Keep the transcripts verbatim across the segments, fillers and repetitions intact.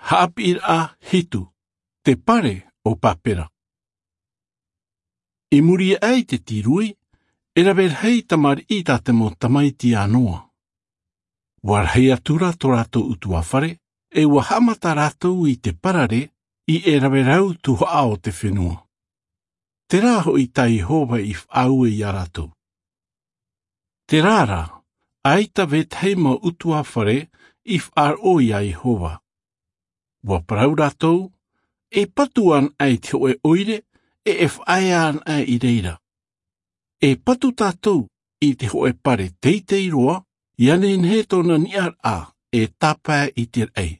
Haʻapiʻiraʻa hitu. Te pare o papera. I muri aʻe i te tīrui, e rave rahi tamariʻi tā te mau tamaiti a noa. Ua rahi atu rā tō rātou utuafare, e ua haʻamata rātou i te parare i e rave rau tuhaʻa o te fenua. Terā hoʻi tā iehova i faʻaue iā rātou. Terā rā, ʻaita vetahi mau utuafare i faʻaroʻo iā iehova. Ua parau rātou, e patu ana i te hoʻe ʻoire, e e faʻaea ana i reira. E patu tātou i te hoʻe pare teitei roa, ia nehenehe tōna niʻaraʻa e tāpae i te raʻi.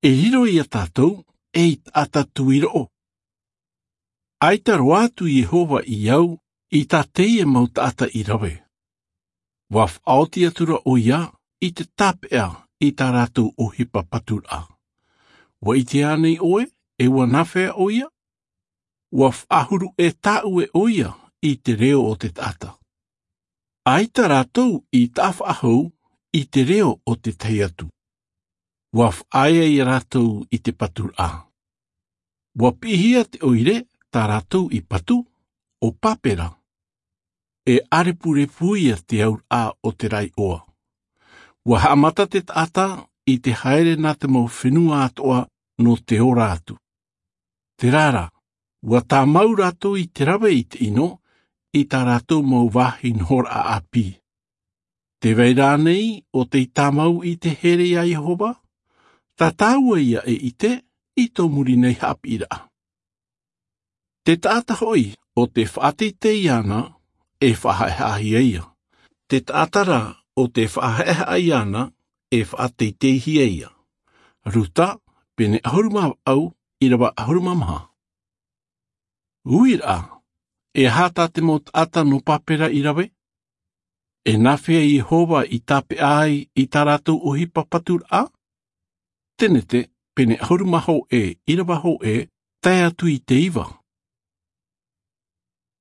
E riro iā tātou ei taʻata tuiroʻo. ʻAita roa atu iehova i au i tā teie mau taʻata i rave. Ua faʻaoti atu rā ʻoia i te tāpeʻa i tā rātou ʻohipa paturaʻa. Ua ʻite ānei ʻoe, e ua nāfea ʻoia? Ua faʻahuru e tāʻue ʻoia i te reo o te taʻata. ʻAita rātou i taʻa faʻahou i te reo o te tahi atu. Ua faʻaea iā rātou i te paturaʻa. Ua piʻihia te ʻoire tā rātou i patu o papera. E ʻarepurepu ia te auraʻa o te raiʻoa. Ua haʻamata te taʻata i te haere nā te mau fenua atoʻa nō te ora atu. Terā rā, ua tāmau rātou i te rave i te ʻino i tā rātou mau vāhi nohoraʻa ʻāpī. Te vai rānei o tei tāmau i te here iā iehova? Tā tāua ia e ʻite i tō muri nei haʻapiʻiraʻa. Te taʻata hoʻi o te faʻateitei ana, e faʻahaʻehaʻahia ia. Te taʻata rā o te faʻahaʻehaʻa ana, e faʻateiteihia ia. Ruta, pene ʻahuru mā vaʻu, ʻirava ʻahuru mā maha. Uiraʻa, e aha tā te mau taʻata nō papera i rave? E nāfea iehova i tāpeʻa ai i tā rātou ʻohipa paturaʻa? Tenete, pene ʻahuru mā hōʻē, ʻirava hōʻē, tae atu i te iva.